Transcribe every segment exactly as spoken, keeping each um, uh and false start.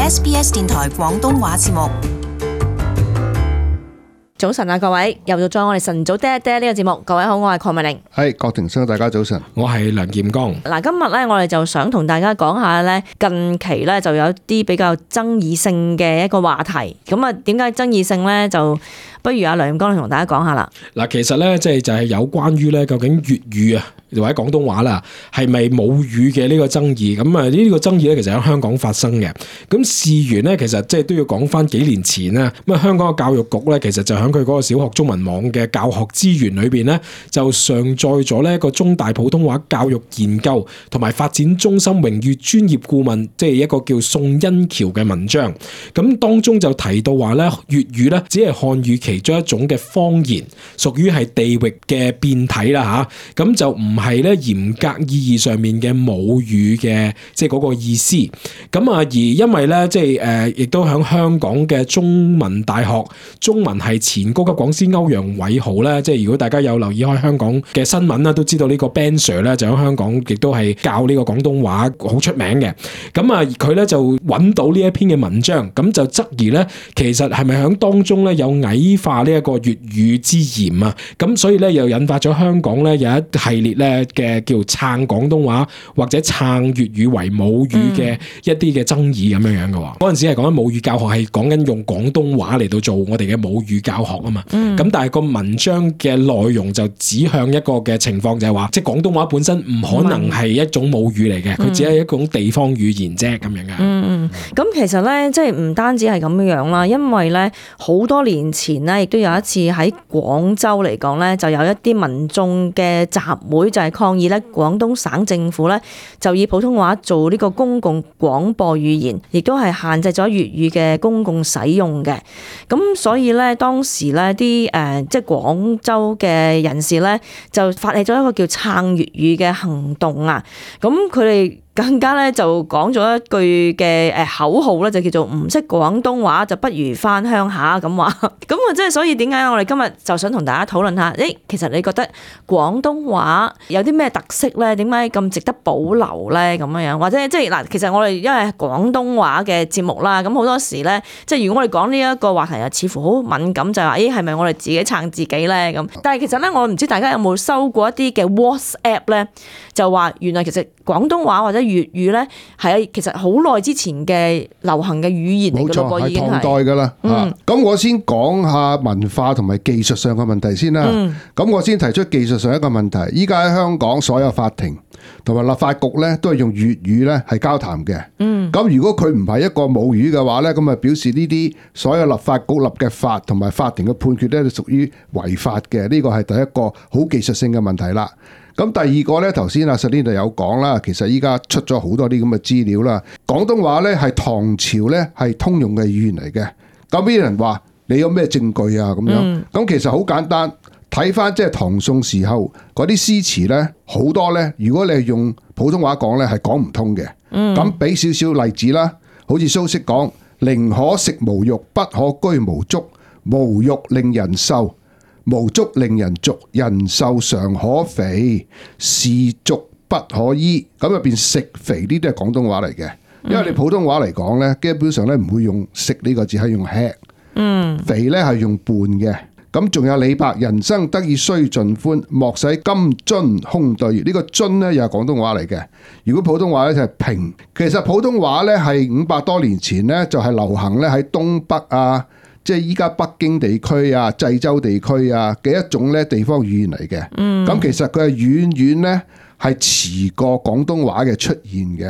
S B S 電台廣東話節目。早晨啊，各位，又到咗我哋晨早爹爹呢個節目。各位好，我係鄺美玲。係郭庭生，大家早晨。我係梁劍剛。嗱，今日咧我哋就想同大家講下咧，近期咧就有啲比較爭議性嘅一個話題。咁啊，點解爭議性咧？就不如阿梁劍剛同大家講下啦。嗱，其實咧即係就係有關於咧究竟粵語啊或者廣東話啦，係咪母語嘅呢個爭議？咁啊呢個爭議咧，其實喺香港發生嘅。咁事緣咧，其實即係都要講翻幾年前啦。咁啊，香港嘅教育局咧，其實就喺佢嗰個小學中文網嘅教學資源裏邊咧，就上載咗呢一個中大普通話教育研究同埋發展中心榮譽專業顧問，即係一個叫宋恩橋嘅文章。咁當中就提到話咧，粵語咧只係漢語其中一種嘅方言，屬於係地域嘅變體啦吓。咁就唔係咧嚴格意義上面嘅母語嘅，即係嗰個意思。咁啊，而因為咧，即係誒，亦都喺香港嘅中文大學中文系前高級講師歐陽偉豪咧，即係如果大家有留意開香港嘅新聞啦，都知道呢個 Ben Sir 咧就喺香港亦都係教呢個廣東話好出名嘅。咁啊，佢咧就揾到呢一篇嘅文章，咁就質疑咧，其實係咪喺當中咧有矮化呢一個粵語之嫌啊？咁所以咧又引發咗香港咧有一系列咧嘅叫撐廣東話或者撐粵語為母語嘅一啲嘅爭議咁樣樣嘅喎。嗰陣時係講緊母語教學，係講緊用廣東話嚟到做我哋嘅母語教學啊嘛。咁、嗯、但係個文章嘅內容就指向一個嘅情況，就係話即係廣東話本身唔可能係一種母語嚟嘅，佢、嗯、只係一種地方語言啫咁樣嘅。嗯嗯，咁其實咧即係唔單止係咁樣樣啦，因為咧好多年前咧亦都有一次喺廣州嚟講咧，就有一啲民眾嘅集會就係抗議咧，廣東省政府咧就以普通話做呢個公共廣播語言，亦都係限制咗粵語嘅公共使用嘅。咁所以咧當時咧啲誒即係廣州嘅人士咧就發起咗一個叫撐粵語嘅行動啊！咁佢哋更加咧就講咗一句嘅誒口號咧，就叫做唔識廣東話就不如返鄉下咁話。咁啊，即係所以點解我哋今日就想同大家討論下？誒，其實你覺得廣東話有啲咩特色咧？點解咁值得保留咧？咁樣樣或者即係嗱，其實我哋因為廣東話嘅節目啦，咁好多時咧，即係如果我哋講呢一個話題啊，似乎好敏感，就係話誒係咪我哋自己撐自己咧咁？但係其實咧，我唔知大家有冇收過一啲嘅 WhatsApp 咧，就話原來其實廣東話或者粵語咧係其實好耐之前嘅流行嘅語言嚟嘅咯，已經係唐代噶啦。咁、嗯、我先講下文化同埋技術上嘅問題先啦。咁、嗯、我先提出技術上一個問題。依家喺香港所有法庭同埋立法局咧都係用粵語咧係交談嘅。咁、嗯、如果佢唔係一個母語嘅話咧，咁啊表示呢啲所有立法局立嘅法同埋法庭嘅判決咧都屬於違法嘅。呢個係第一個好技術性嘅問題啦。咁第二個咧，頭先阿 Selina 有講啦，其實依家出咗好多啲咁嘅資料啦。廣東話咧係唐朝咧係通用嘅語言嚟嘅。咁啲人話你有咩證據啊？咁樣咁、嗯、其實好簡單，睇翻即係唐宋時候嗰啲詩詞咧，好多咧，如果你係用普通話講咧，係講唔通嘅。咁俾少少例子啦，好似蘇軾講：寧可食無肉，不可居無竹。無肉令人瘦，無竹令人俗，人瘦常可肥，是俗不可醫。咁入邊食肥呢啲係廣東話嚟嘅，因為你普通話嚟講咧，基本上咧唔會用食呢個字，係用吃。嗯，肥咧係用伴嘅。咁仲有李白：人生得意須盡歡，莫使金樽空對月。呢個樽咧又係廣東話嚟嘅。如果普通話咧就係平。其實普通話咧係五百多年前咧就係流行咧喺東北啊，即係依家北京地區啊、濟州地區啊嘅一種咧地方語言嚟嘅。嗯，咁其實佢係遠遠咧係遲過廣東話嘅出現嘅。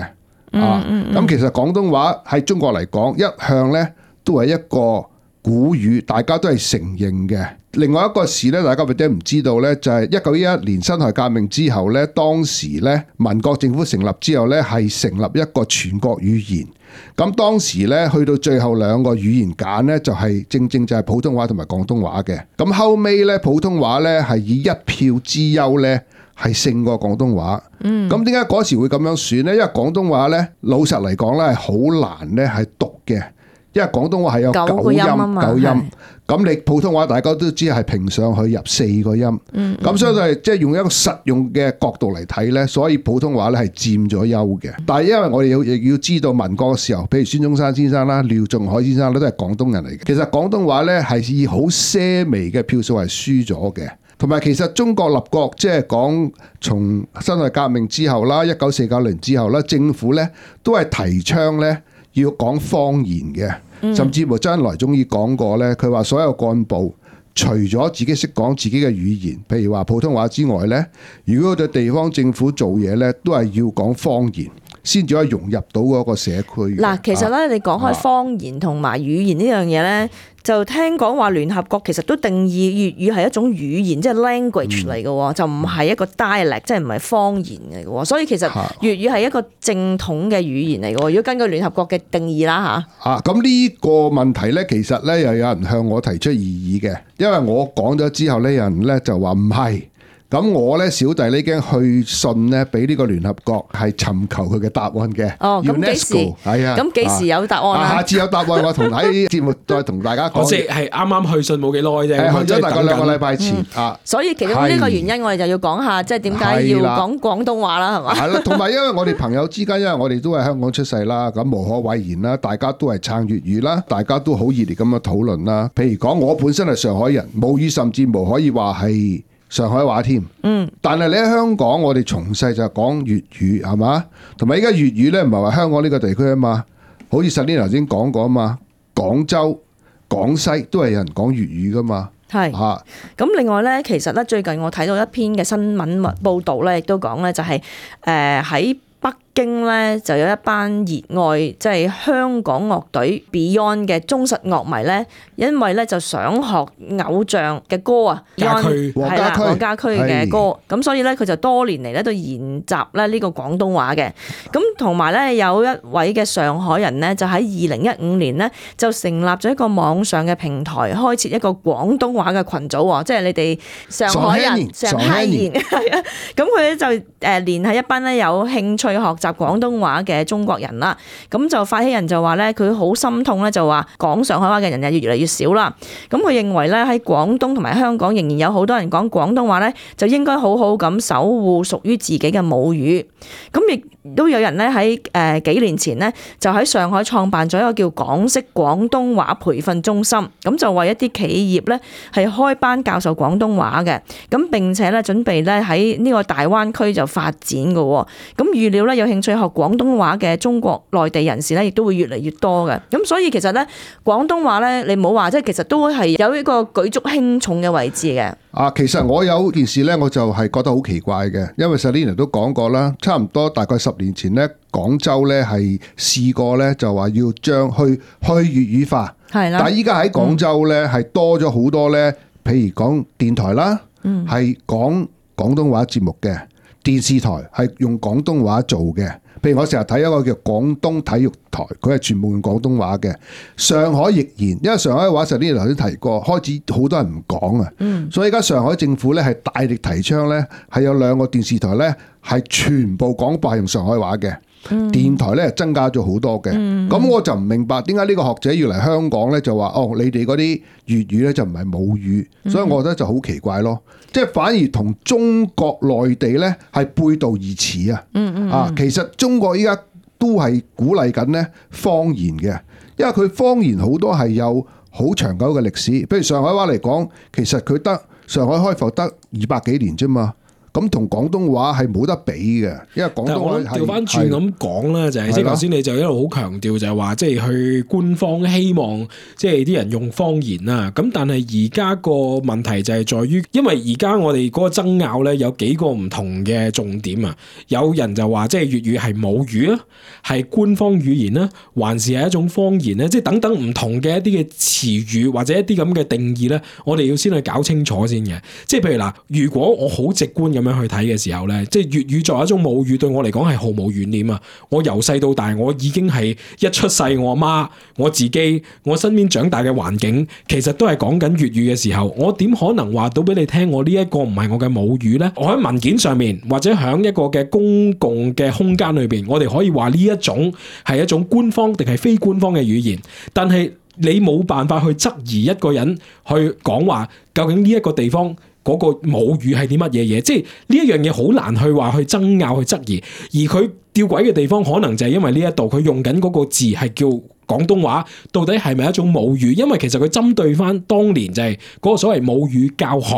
啊，咁其實廣東話喺中國嚟講一向咧都係一個古語，大家都係承認嘅。另外一個事咧，大家或者唔知道咧，就係一九一一年辛亥革命之後咧，當時咧民國政府成立之後咧，係成立一個全國語言。咁當時咧去到最後兩個語言揀咧，就係正正就係普通話同埋廣東話嘅。咁後尾咧普通話咧係以一票之優咧係勝過廣東話。嗯。咁點解嗰時會咁樣選咧？因為廣東話咧老實嚟講咧係好難咧係讀嘅。因為廣東話係有九音九個音啊嘛九音係。咁你普通話大家都知係平上去入四個音，嗯咁所以係即係用一個實用嘅角度嚟睇咧，所以普通話咧係佔咗優嘅。但係因為我哋要亦要知道民國嘅時候，譬如孫中山先生啦、廖仲愷先生咧都係廣東人嚟嘅。其實廣東話咧係以好些微嘅票數係輸咗嘅。同埋其實中國立國即係講從辛亥革命之後啦，一九四九年之後啦，政府咧都係提倡咧要講方言嘅。甚至乎周恩來終於講過咧，佢話所有幹部除咗自己識講自己嘅語言，譬如話普通話之外咧，如果對地方政府做嘢咧，都係要講方言，先至可以融入到嗰個社區。嗱，其實咧，你講開方言同埋語言呢樣嘢咧，就聽講話聯合國其實都定義粵語係一種語言，即係 language 嚟嘅喎，就唔係一個 dialect，即係唔係方言嚟嘅喎。所以其實粵語係一個正統嘅語言嚟嘅喎。如果根據聯合國嘅定義啦嚇。啊，咁呢個問題咧，其實咧又有人向我提出異議嘅，因為我講咗之後咧，有人咧就話唔係。咁我咧小弟呢已經去信咧，俾呢個聯合國係尋求佢嘅答案嘅。哦，咁幾時？係啊，咁幾時有答案啊？下次有答案，我同喺節目再同大家講。我即係啱啱去信冇幾耐啫，係去咗大概兩個禮拜前啊。所以其中呢個原因，我哋就要講下，即係點解要講廣東話啦，係嘛？係啦，同埋因為我哋朋友之間，因為我哋都係香港出世啦，咁無可諱言啦，大家都係撐粵語啦，大家都好熱烈咁樣討論啦。譬如講，我本身係上海人，母語甚至無可以話係上海話添，嗯，但係你喺香港，我哋從細就講粵語，係嘛？同埋依家粵語咧，唔係話香港呢個地區啊嘛，好似 Selina 頭先講過啊嘛，廣州、廣西都係有人講粵語噶嘛，係嚇。咁另外咧，其實咧最近我睇到一篇嘅新聞報導咧，亦都講咧就係誒喺北京咧就有一班熱愛即係香港樂隊 Beyond 嘅忠實樂迷咧，因為咧就想學偶像嘅歌啊，Beyond 係啦，黃家駒嘅歌，咁所以咧佢就多年嚟咧都研習咧呢個廣東話嘅。咁同埋咧有一位嘅上海人咧，就喺二零一五年咧就成立咗一個網上嘅平台，開設一個廣東話嘅群組喎，即係你哋上海人上海人係啊，咁佢咧就誒聯繫一班咧有興趣學習廣東話嘅中國人啦，咁就發起人就話咧，佢好心痛咧，就話講上海話嘅人又越嚟越少啦。咁佢認為咧喺廣東同埋香港仍然有好多人講廣東話咧，就應該好好咁守護屬於自己嘅母語。咁亦都有人咧喺誒幾年前咧就喺上海創辦咗一個叫港式廣東話培訓中心，咁就為一啲企業咧係開班教授廣東話嘅，咁並且咧準備咧喺呢個大灣區就發展嘅。咁預料咧有興趣學廣東話嘅中國內地人士咧，亦都會越嚟越多嘅。咁所以其實咧，廣東話咧，你唔好話，即係其實都係有一個舉足輕重嘅位置嘅。啊，其實我有件事咧，我就係覺得好奇怪嘅，因為 Selina 都講過啦，差唔多大概十年前咧，廣州咧係試過咧，就話要將去去粵語化，係啦。但係依家喺廣州咧係多咗好多咧，譬如講電台啦，係講廣東話節目嘅。電視台係用廣東話做嘅，譬如我成日睇一個叫廣東體育台，佢係全部用廣東話嘅。上海亦然，因為上海話實啲頭先提過，開始好多人唔講啊，嗯、所以而家上海政府咧係大力提倡咧，係有兩個電視台咧係全部廣播係用上海話嘅。嗯、電台咧增加咗好多嘅，咁、嗯、我就唔明白點解呢個學者要嚟香港咧就話哦，你哋嗰啲粵語咧就唔係母語，嗯、所以我覺得就好奇怪咯，即係反而同中國內地咧係背道而馳啊！嗯嗯啊，其實中國依家都係鼓勵緊咧方言嘅，因為佢方言好多係有好長久嘅歷史，譬如上海話嚟講，其實佢得上海開埠得二百幾年啫嘛。咁同廣東話係冇得比嘅，因為廣東話係調翻轉咁講啦，就係即係頭先你就一路好強調就係話，即係去官方希望即係啲人用方言啦。咁但係而家個問題就係在於，因為而家我哋嗰個爭拗咧有幾個唔同嘅重點啊。有人就話即係粵語係母語啊，係官方語言啦，還是係一種方言咧？即係等等唔同嘅一啲嘅詞語或者一啲咁嘅定義咧，我哋要先去搞清楚先嘅。即係譬如嗱，如果我好直觀咁樣去睇嘅時候咧，即係粵語作為一種母語，對我嚟講係毫無懸念啊！我由細到大，我已經係一出世，我阿媽、我自己、我身邊長大嘅環境，其實都係講緊粵語嘅時候，我點可能話到俾你聽，我呢一個唔係我嘅母語呢？我喺文件上面，或者喺一個嘅公共嘅空間裏邊，我哋可以話呢一種係一種官方定係非官方嘅語言，但係你冇辦法去質疑一個人去講話，究竟呢一個地方嗰個母語係啲乜嘢嘢？即係呢一樣嘢好難去話去爭拗去質疑，而佢吊詭嘅地方可能就係因為呢一度佢用緊嗰個字係叫廣東話，到底係咪一種母語？因為其實佢針對翻當年就係嗰個所謂母語教學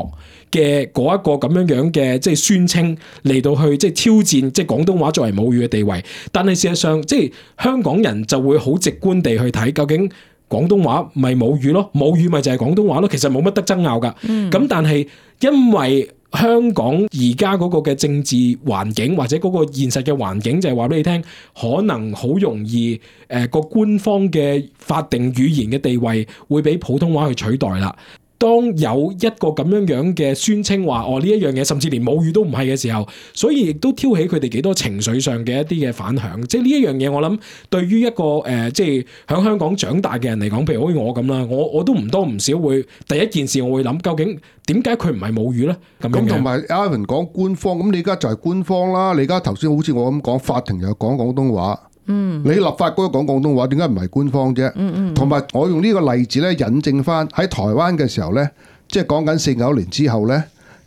嘅嗰一個咁樣樣嘅即係宣稱嚟到去即係挑戰即係廣東話作為母語嘅地位，但係事實上即係香港人就會好直觀地去睇究竟。廣東話咪母語咯，母語咪就係廣東話咯，其實冇乜得爭拗噶。咁、嗯、但係因為香港而家嗰個嘅政治環境或者嗰個現實嘅環境就係話俾你聽，可能好容易誒個、呃、官方嘅法定語言嘅地位會俾普通話去取代啦。當有一個咁樣樣嘅宣稱話，哦呢一樣嘢甚至連母語都唔係嘅時候，所以亦都挑起佢哋幾多情緒上嘅一啲嘅反響。即係呢一樣嘢，我諗對於一個誒、呃，即係喺香港長大嘅人嚟講，譬如好似我咁啦，我我都唔多唔少會第一件事我會諗，究竟點解佢唔係母語咧？咁樣同埋 Ivan 講官方，咁你而家就係官方啦。你而家頭先好似我咁講，法庭又講廣東話。嗯，你立法嗰個講廣東話，點解唔係官方啫？嗯嗯，同埋我用呢個例子咧，引證翻喺台灣嘅時候咧，即係講緊四九年之後咧，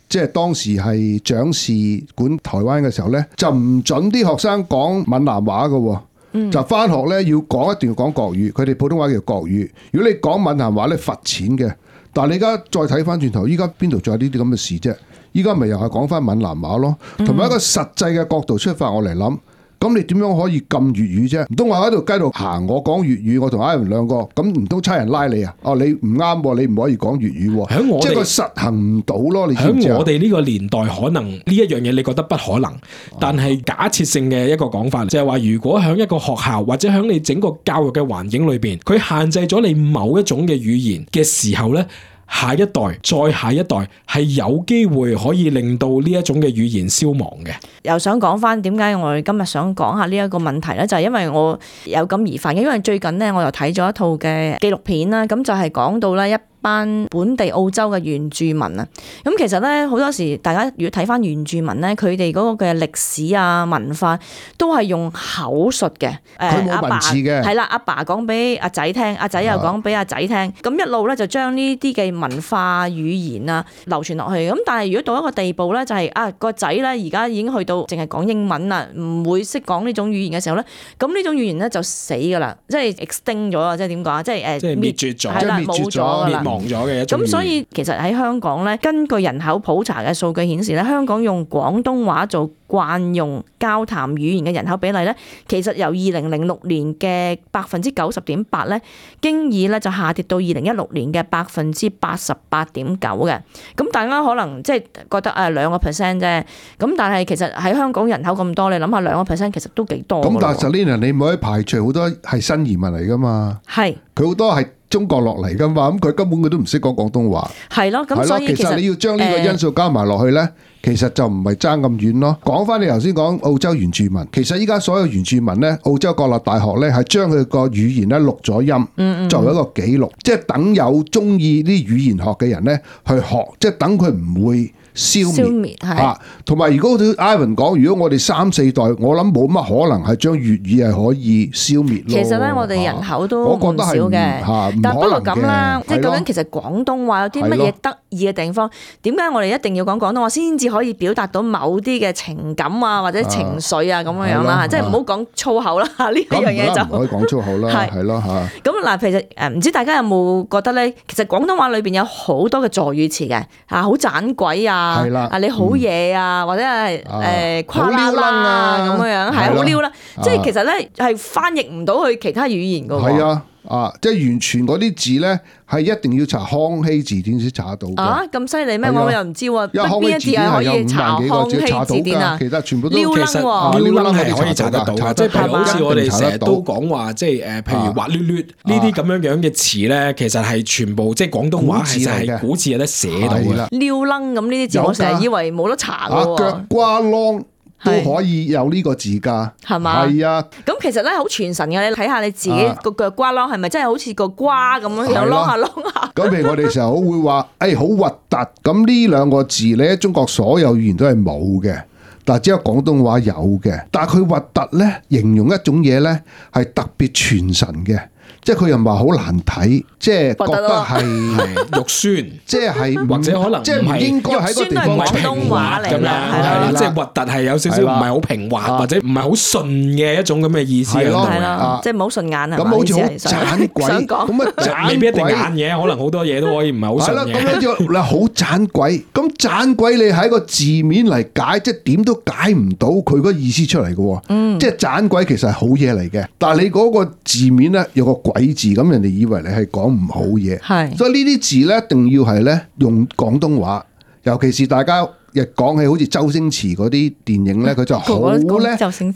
即係當時係蔣氏管台灣嘅時候咧，就唔準啲學生講閩南話嘅，嗯、就翻學咧要講一定要講國語，佢哋普通話叫國語。如果你講閩南話咧，罰錢嘅。但係你而家再睇翻轉頭，依家邊度仲有呢啲咁嘅事啫？依家咪又係講翻閩南話咯，同埋一個實際嘅角度出發，我嚟諗。咁你點樣可以禁粵語啫？唔通我喺度街度行，我講粵語，我同 Ivan 兩個，咁唔通差人拉你啊？哦，你唔啱，你唔可以講粵語喎。即係佢實行唔到咯。你知唔知啊？喺我哋呢個年代，可能呢一樣嘢你覺得不可能，但係假設性嘅一個講法，就係話，如果喺一個學校或者喺你整個教育嘅環境裏邊，佢限制咗你某一種嘅語言嘅時候咧，下一代再下一代係有機會可以令到呢一種嘅語言消亡嘅。又想講翻點解我哋今日想講下呢一個問題咧，就係因為我有感而發嘅，因為最近咧我又睇咗一套嘅紀錄片啦，咁就係講到咧一班本地澳洲嘅原住民啊，咁其實咧好多時大家如果睇翻原住民咧，佢哋嗰個嘅歷史啊文化都係用口述嘅，佢冇文字嘅，係啦，阿爸講俾阿仔聽，阿仔又講俾阿仔聽，咁一路咧就將呢啲嘅文化語言啊流傳落去。咁但係如果到一個地步咧，就係啊個仔咧而家已經去到淨係講英文啦，唔會識講呢種語言嘅時候咧，咁呢種語言咧就死㗎啦，即係 extinct 咗啊，即係點講啊，即係誒滅絕咗，係啦，冇咗㗎啦。咁所以其實喺香港咧，根據人口普查嘅數據顯示咧，香港用廣東話做慣用交談語言嘅人口比例咧，其實由二零零六年嘅百分之九十點八咧，經已咧就下跌到二零一六年嘅百分之八十八點九嘅。咁大家可能即係覺得誒兩個 percent 啫，咁但係其實喺香港人口咁多，你諗下兩個 percent 其實都幾多。咁但係 Selina 你唔可以排除好多係新移民嚟㗎嘛？係，佢好多係中國落嚟噶嘛，咁佢根本佢都唔識講廣東話。係咯，咁所以其實，其實你要將呢個因素加埋落去咧，呃、其實就唔係爭咁遠咯。講翻你頭先講澳洲原住民，其實依家所有原住民咧，澳洲國立大學咧係將佢個語言咧錄咗音，嗯嗯作為一個記錄，即係等有中意啲語言學嘅人咧去學，即係等佢唔會消滅嚇，同埋、啊、如果好似 Ivan 講，如果我哋三四代，我諗冇乜可能係將粵語係可以消滅咯。其實咧，我哋人口都唔少嘅，啊、但不過咁啦，即係究竟其實廣東話有啲乜嘢得意嘅地方？點解我哋一定要講廣東話先至可以表達到某啲嘅情感啊，或者情緒啊咁樣樣啦？即係唔好講粗口啦，呢一樣嘢就唔可以講粗口啦，係咯嚇。咁嗱，其實誒唔知大家有冇覺得咧？其實廣東話裏邊有好多嘅助語詞嘅，啊好盞鬼啊！係啦，啊你好嘢啊，或者係誒誇啦啦啊咁樣樣，係好撩啦，即係其實咧係翻譯唔到去其他語言噶喎。係啊，啊，即係完全嗰啲字咧係一定要查康熙字典先查得到嘅。啊，咁犀利咩？係啊我又唔知喎。因為康熙字典係有五萬幾個字查到㗎，其實全部都撩楞其實喎撩楞係可以查得到嘅，即係譬如好似我哋成日都講話，即係誒，譬如滑捋捋呢啲咁樣樣嘅詞咧，其實係全部即係廣東話其實係古字有得寫到嘅。撩楞咁呢啲字，我成日以為冇得查㗎喎。腳瓜啷都可以有呢個字㗎，係嘛？係啊。咁其實咧好傳神嘅，你睇下你自己個腳瓜啷係咪真係好似個瓜咁樣樣啷下啷下？咁譬如我哋成日好會話，誒好核突。咁呢兩個字你喺中國所有語言都係冇嘅，但係只有廣東話有嘅。但係佢核突咧，形容一種嘢咧係特別傳神嘅。即係佢又唔係好難睇，即係覺得係肉酸，即係或者可能即係唔應該喺個地方廣東話嚟嘅，係啦，即係核突係有少少唔係好平滑，或者唔係好順嘅一種咁嘅意思係咯，係啦，即係唔好順眼啊。咁好似好盞鬼咁啊，未必一定眼嘢，可能好多嘢都可以唔係好順嘅。係啦，咁樣就嗱好盞鬼，咁盞鬼你喺個字面嚟解，即係點都解唔到佢個意思出嚟嘅。嗯，即係盞鬼其實係好嘢嚟嘅，但係你嗰個字面咧有個鬼字，咁人哋以為你係講唔好嘢，係，所以呢啲字咧一定要係咧用廣東話，尤其是大家亦講起好似周星馳嗰啲電影咧，佢就好咧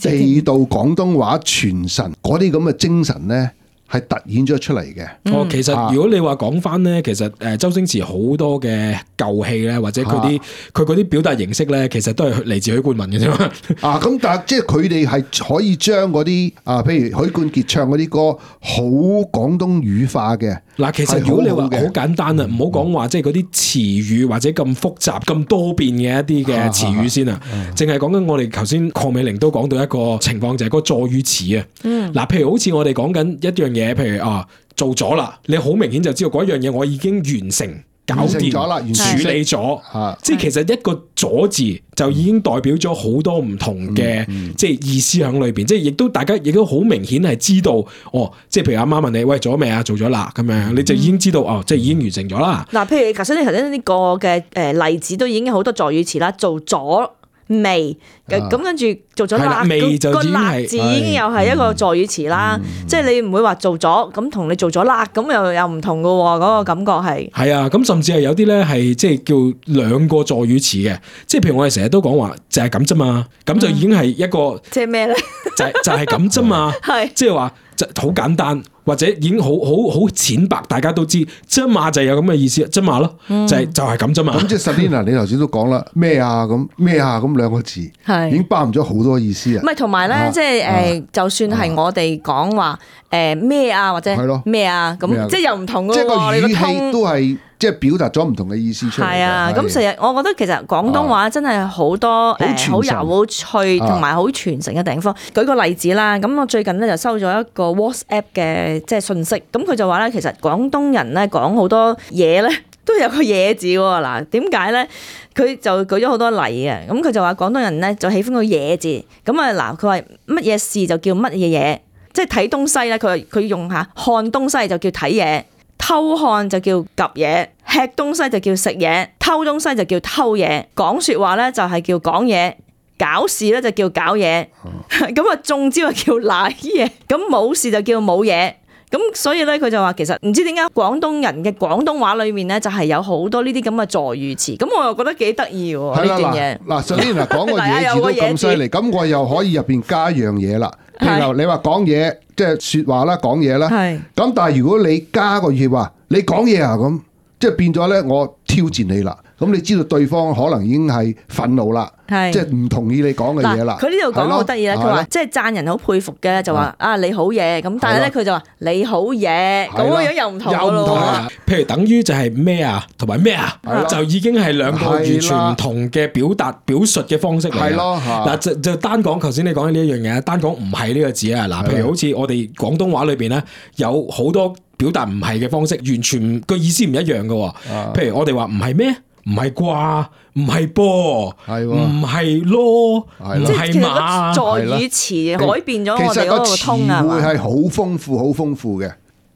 地道廣東話傳神嗰啲咁嘅精神咧。係突顯咗出嚟嘅。哦，其實如果你話講翻咧，其實誒周星馳好多嘅舊戲咧，或者佢啲佢嗰啲表達形式咧，其實都係嚟自許冠文嘅啫嘛。啊，咁但係即係佢哋係可以將嗰啲啊，譬如許冠傑唱嗰啲歌好廣東語化嘅。嗱，其實如果你話好簡單啊，唔好講話即係嗰啲詞語或者咁複雜、咁多變嘅一啲嘅詞語先啊，淨係講緊我哋頭先鄺美玲都講到一個情況，就係嗰個助語詞啊。嗱，譬如好似我哋講緊一樣嘢，譬如啊做咗啦，你好明顯就知道嗰樣嘢我已經完成。搞掂咗啦，處理咗，即係其實一個咗字就已經代表咗好多唔同嘅即係意思喺裏邊，即係亦都大家亦都好明顯係知道，哦，即係譬如阿媽問你，喂，做咗未啊？做咗啦，咁樣你就已經知道，哦，即係已經完成咗啦。嗱，譬如頭先你頭先呢個嘅誒例子都已經有好多助語詞啦，做咗。未咁跟住做咗辣，個辣字已經又係一個助語詞啦。即係你唔會話做咗咁同你做咗辣咁又又唔同噶喎，嗰個感覺係。係啊，咁甚至係有啲咧係即係叫兩個助語詞嘅，即係譬如我哋成日都講話就係咁啫嘛，咁就已經係一個即係咩咧？就係就係咁啫嘛，係即係話就好簡單。或者已經好好好淺白，大家都知啫嘛，就有咁嘅意思啫嘛咯，就係就係咁啫嘛。咁即係 Selina，你頭先都講啦，咩啊咁咩啊咁兩個字，已經包含咗好多意思啊。唔係同埋咧，即係誒，就算係我哋講話誒咩啊，或者咩啊，咁即係又唔同嘅喎。即係個語氣都係即係表達咗唔同嘅意思出嚟。係啊，咁成日我覺得其實廣東話真係好多誒好有趣同埋好傳承嘅地方。舉個例子啦，咁我最近咧就收咗一個 WhatsApp 嘅。即係信息，咁佢就話咧，其實廣東人咧講好多嘢咧，都有個嘢字喎。嗱，點解咧？佢就舉咗好多例嘅，咁佢就話廣東人咧就喜歡個嘢字。咁啊嗱，佢話乜嘢事就叫乜嘢嘢，即係睇東西咧，佢佢用下看東西就叫睇嘢，偷看就叫夾嘢，吃東西就叫食嘢，偷東西就叫偷嘢，講説話咧就係叫講嘢。搞事咧就叫搞嘢，咁啊中招就叫賴嘢，咁冇事就叫冇嘢，咁所以咧佢就話其實唔知點解廣東人嘅廣東話裏面咧就係有好多呢啲咁嘅助語詞，咁我又覺得幾得意喎呢段嘢。嗱，首先嗱講個嘢字都咁犀利，咁我又可以入邊加一樣嘢啦。譬如你話講嘢，即係説話啦，講嘢啦。係。咁但係如果你加個語話，你講嘢啊咁，即係變咗咧，我挑戰你啦。咁你知道對方可能已經係憤怒啦，即係唔同意你講嘅嘢啦。佢呢度講好得意咧，佢話即係讚人好佩服嘅，就話啊你好嘢，咁但係咧佢就話你好嘢，咁樣又唔同嘅咯。譬如等於就係咩啊，同埋咩啊，就已經係兩個完全唔同嘅表達表述嘅方式嚟。係咯，嗱就就單講頭先你講嘅呢一樣嘢，單講唔係呢個字啊。嗱，譬如好似我哋廣東話裏邊咧，有好多表達唔係嘅方式，完全個意思唔一樣嘅。譬如我哋話唔係咩？唔係啩，唔係噃，唔係咯，唔係馬，助語詞改變咗我哋嗰個通啊，其實個詞彙係好豐富、好豐富嘅。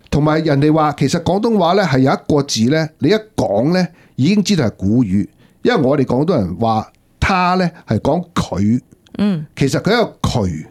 同埋人哋話，其實廣東話咧係有一個字咧，你一講咧已經知道係古語，因為我哋廣東人話他咧係講佢，嗯，其實佢一個渠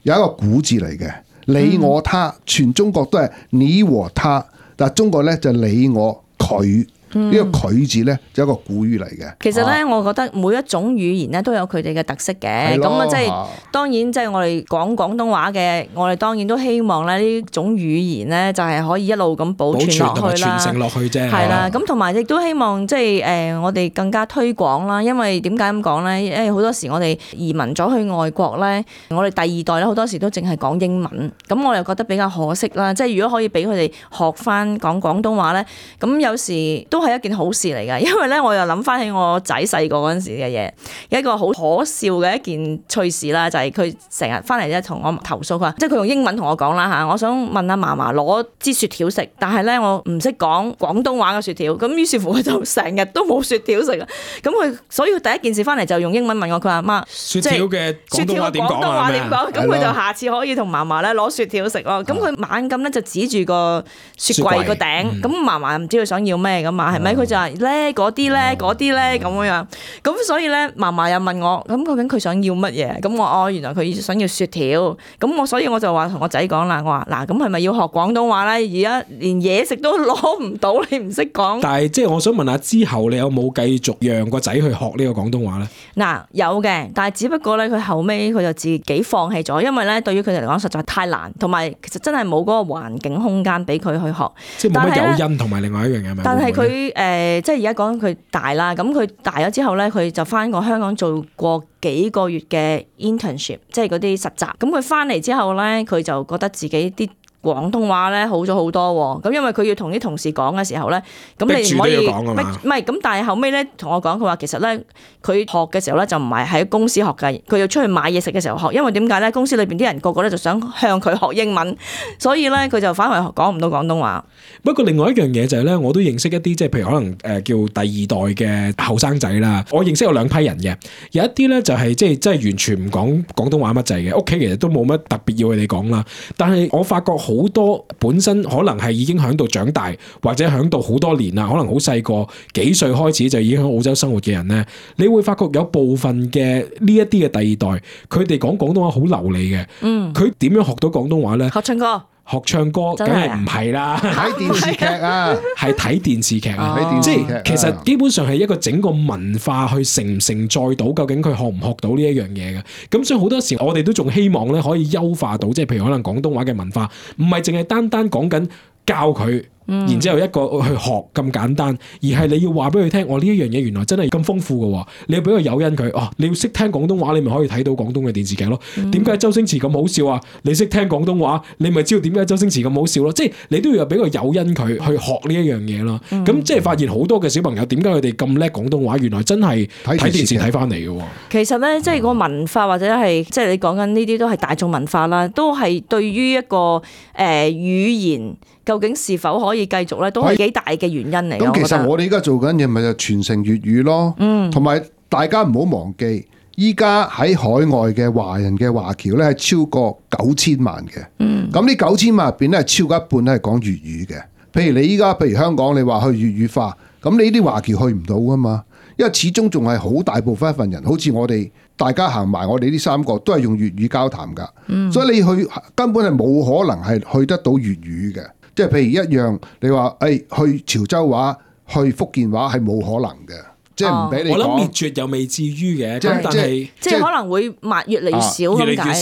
有一個古字嚟嘅。你我他，全中國都係你和他，但係中國咧就你我佢。呢、嗯、個佢字咧就一個古語嚟嘅。其實咧，啊、我覺得每一種語言咧都有佢哋嘅特色嘅。咁啊，即係當然，即係我哋講廣東話嘅，我哋當然都希望咧呢種語言咧就係可以一路咁保存落去啦，傳承落去啫。係啦，咁同埋亦都希望即係誒我哋更加推廣啦。因為點解咁講咧？因為好多時我哋移民咗去外國咧，我哋第二代咧好多時都淨係講英文，咁我又覺得比較可惜啦。即係如果可以俾佢哋學翻講廣東話咧，咁有時都係一件好事嚟㗎，因為咧我又諗翻起我仔細個嗰陣時嘅嘢，有一個好可笑嘅一件趣事啦，就係佢成日翻嚟咧同我投訴，佢話即係佢用英文同我講啦嚇，我想問阿嫲嫲攞支雪條食，但係咧我唔識講廣東話嘅雪條，咁於是乎佢就成日都冇雪條食啊，咁佢所以佢第一件事翻嚟就用英文問我，佢話媽，雪條嘅廣東話點講啊？咁佢就下次可以同嫲嫲咧攞雪條食咯，咁佢猛咁咧就指住個雪櫃個頂，咁嫲嫲唔知佢想要咩㗎嘛，係咪？佢就話咧嗰啲咧嗰啲咧咁樣，咁所以咧嫲嫲又問我，咁究竟佢想要乜嘢？咁我哦原來佢想要雪條，咁我所以我就話同我仔講啦，我話嗱，咁係咪要學廣東話咧？而家連嘢食都攞唔到，你唔識講。但係即係我想問下，之後你有冇繼續讓個仔去學呢個廣東話咧？嗱，有嘅，但係只不過咧佢後尾佢就自己放棄咗，因為咧對於佢哋嚟講實在太難，同埋其實真係冇嗰個環境空間俾佢去學。即係冇乜誘因，同埋另外一樣嘢係咪？但係佢誒即係而家講佢大啦，咁佢大咗之後咧，佢就翻過香港做過幾個月嘅 internship， 即係嗰啲實習。咁佢翻嚟之後咧，佢就覺得自己啲廣東話咧好咗好多喎，咁因為佢要同啲同事講嘅時候咧，咁你唔可以，唔係咁，但係後尾咧同我講，佢話其實咧佢學嘅時候咧就唔係喺公司學嘅，佢要出去買嘢食嘅時候學，因為點解咧？公司裏邊啲人個個咧就想向佢學英文，所以咧佢就反而講唔到廣東話。不過另外一樣嘢就係咧，我都認識一啲即係譬如可能誒叫第二代嘅後生仔啦，我認識有兩批人嘅，有一啲咧就係即係真係完全唔講廣東話乜滯嘅，屋企其實都冇乜特別要佢哋講啦，但係我發覺好好多本身可能係已經喺度長大，或者喺度好多年啦，可能好細個幾歲開始就已經喺澳洲生活嘅人咧，你會發覺有部分嘅呢一啲嘅第二代，佢哋講廣東話好流利嘅。嗯，佢點樣學到廣東話咧？學唱歌。學唱歌梗係唔係啦，睇電視劇啊，係睇電視劇啊，睇電視劇。即係其實基本上係一個整個文化去承唔承載到，究竟佢學唔學到呢一樣嘢嘅。咁所以好多時我哋都仲希望咧可以優化到，即係譬如可能廣東話嘅文化，唔係淨係單單講緊教佢。嗯、然之後一個去學咁簡單，而係你要話俾佢聽，我呢一樣嘢原來真係咁豐富嘅，你要俾個誘因佢，哦，你要識聽廣東話，你咪可以睇到廣東嘅電視劇咯。點解、嗯、周星馳咁好笑啊？你識聽廣東話，你咪知道點解周星馳咁好笑咯。即係你都要有俾個誘因佢去學呢一樣嘢咯。咁、嗯、即係發現好多嘅小朋友點解佢哋咁叻廣東話，原來真係睇電視睇翻嚟嘅。其實咧，即係個文化或者係即係你講緊呢啲都係大眾文化啦，都係對於一個誒、呃、語言。究竟是否可以繼續咧，都係幾大嘅原因嚟。咁其實我哋而家做緊嘢咪就傳承粵語咯，嗯，同埋大家唔好忘記，依家喺海外嘅華人嘅華僑咧係超過九千萬嘅，嗯，咁呢九千萬入邊咧係超過一半咧係講粵語嘅。譬如你依家譬如香港，你話去粵語化，咁你呢啲華僑去唔到噶嘛，因為始終仲係好大部分一份人，好似我哋大家行埋我哋呢三個都係用粵語交談噶，嗯，所以你去根本係冇可能係去得到粵語嘅。即係譬如一樣，你話誒、哎、去潮州話、去福建話係冇可能嘅，即係唔俾你講。我諗滅絕又未至於嘅，即係但係即係可能會越越嚟越少咁解嘅，越嚟越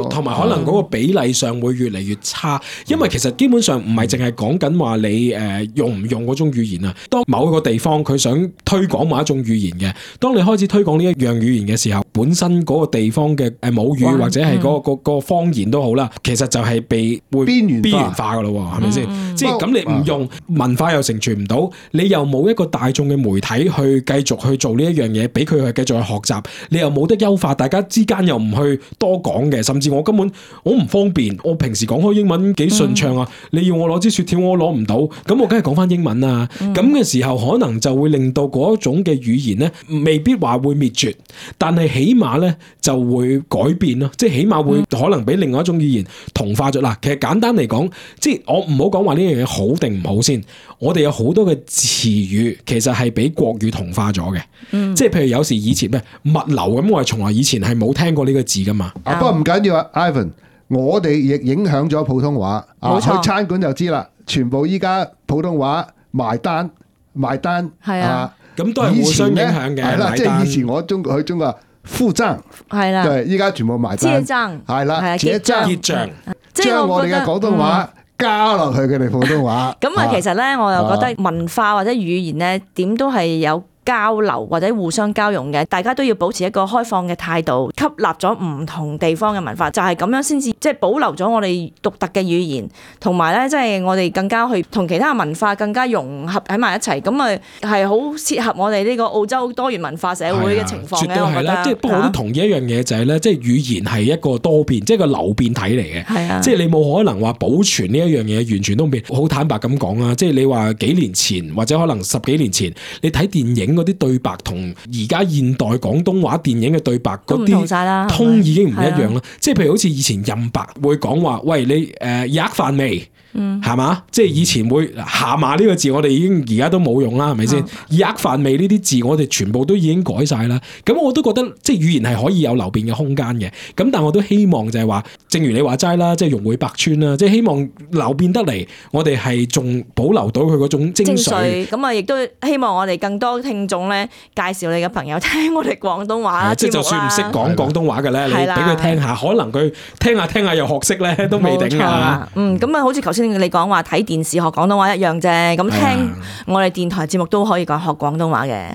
少，同埋可能嗰個比例上會越嚟越差。因為其實基本上唔係淨係講緊話你誒用唔用嗰種語言啊。當某一個地方佢想推廣某一種語言嘅，當你開始推廣呢一樣語言嘅時候，本身嗰個地方嘅誒母語或者係嗰個個個方言都好啦，其實就係被會邊緣邊緣化噶咯，係咪先？即係咁你唔用文化又成傳唔到，你又冇一個大眾嘅媒體去繼續去做呢一樣嘢，俾佢去繼續去學習，你又冇得優化，大家之間又唔去多講嘅，甚至我根本我唔方便，我平時講開英文幾順暢啊，嗯、你要我攞支雪條我攞唔到，咁我梗係講翻英文啊，咁嘅、嗯、時候可能就會令到嗰一種嘅語言咧，未必話會滅絕，但係起碼咧就會改變咯，即係起碼會可能俾另外一種語言同化咗。嗱，其實簡單嚟講，即係我唔好講話呢樣嘢好定唔好先，我哋有好多嘅詞語其實係俾國語同化咗嘅，嗯、即係譬如有時以前咩物流咁，我係從來以前係冇聽過呢個字噶嘛。啊，不過唔緊要啊 ，Ivan，我哋亦影響咗普通話。啊，冇錯去餐館就知啦，全部依家普通話埋單埋單係啊，咁都係互相影響嘅。係啦，即係買單以前我中去中國付賬，係啦，對，依家全部埋單，結帳係啦，係啊結帳結帳，即係將我哋嘅廣東話加落去佢哋普通話。咁啊，其實咧，我又覺得文化或者語言咧，點都係有交流或者互相交融嘅，大家都要保持一個開放嘅態度，吸納咗唔同地方嘅文化，就係咁樣先至即係保留咗我哋獨特嘅語言，同埋咧即係我哋更加去同其他文化更加融合喺埋一齊，咁啊係好切合我哋呢個澳洲多元文化社會嘅情況嘅。絕對係啦，即係不過我都同意一樣嘢就係咧，即係語言係一個多變，即係個流變體嚟嘅。係啊，即係你冇可能話保存呢一樣嘢完全都變。好坦白咁講啊，即係你話幾年前或者可能十幾年前，你睇電影嗰啲對白同而家現代廣東話電影嘅對白嗰啲通已經唔一樣啦。即係譬如好似以前任白會講話，喂，你誒吔飯未？嗯，係嘛？即係以前會下馬呢個字，我哋已經而家都冇用啦，係咪先？吔飯未呢啲字，我哋全部都已經改晒啦。咁我都覺得即係語言係可以有流變嘅空間嘅。咁但我都希望就係話，正如你話齋啦，即係融會百川啦，即係希望流變得嚟，我哋係仲保留到佢嗰種精髓。咁啊，亦都希望我哋更多聽眾咧，介紹你嘅朋友聽我哋廣東話即係就算唔識講廣東話嘅咧，你俾佢聽下，可能佢聽下聽下又學識咧，都未定啊。嗯，咁啊，好似頭先你講話睇電視學廣東話一樣啫，咁聽我哋電台節目都可以講學廣東話嘅。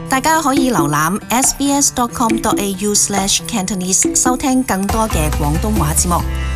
大家可以瀏覽 s b s dot com dot a u slash cantonese 收聽更多嘅廣東話節目。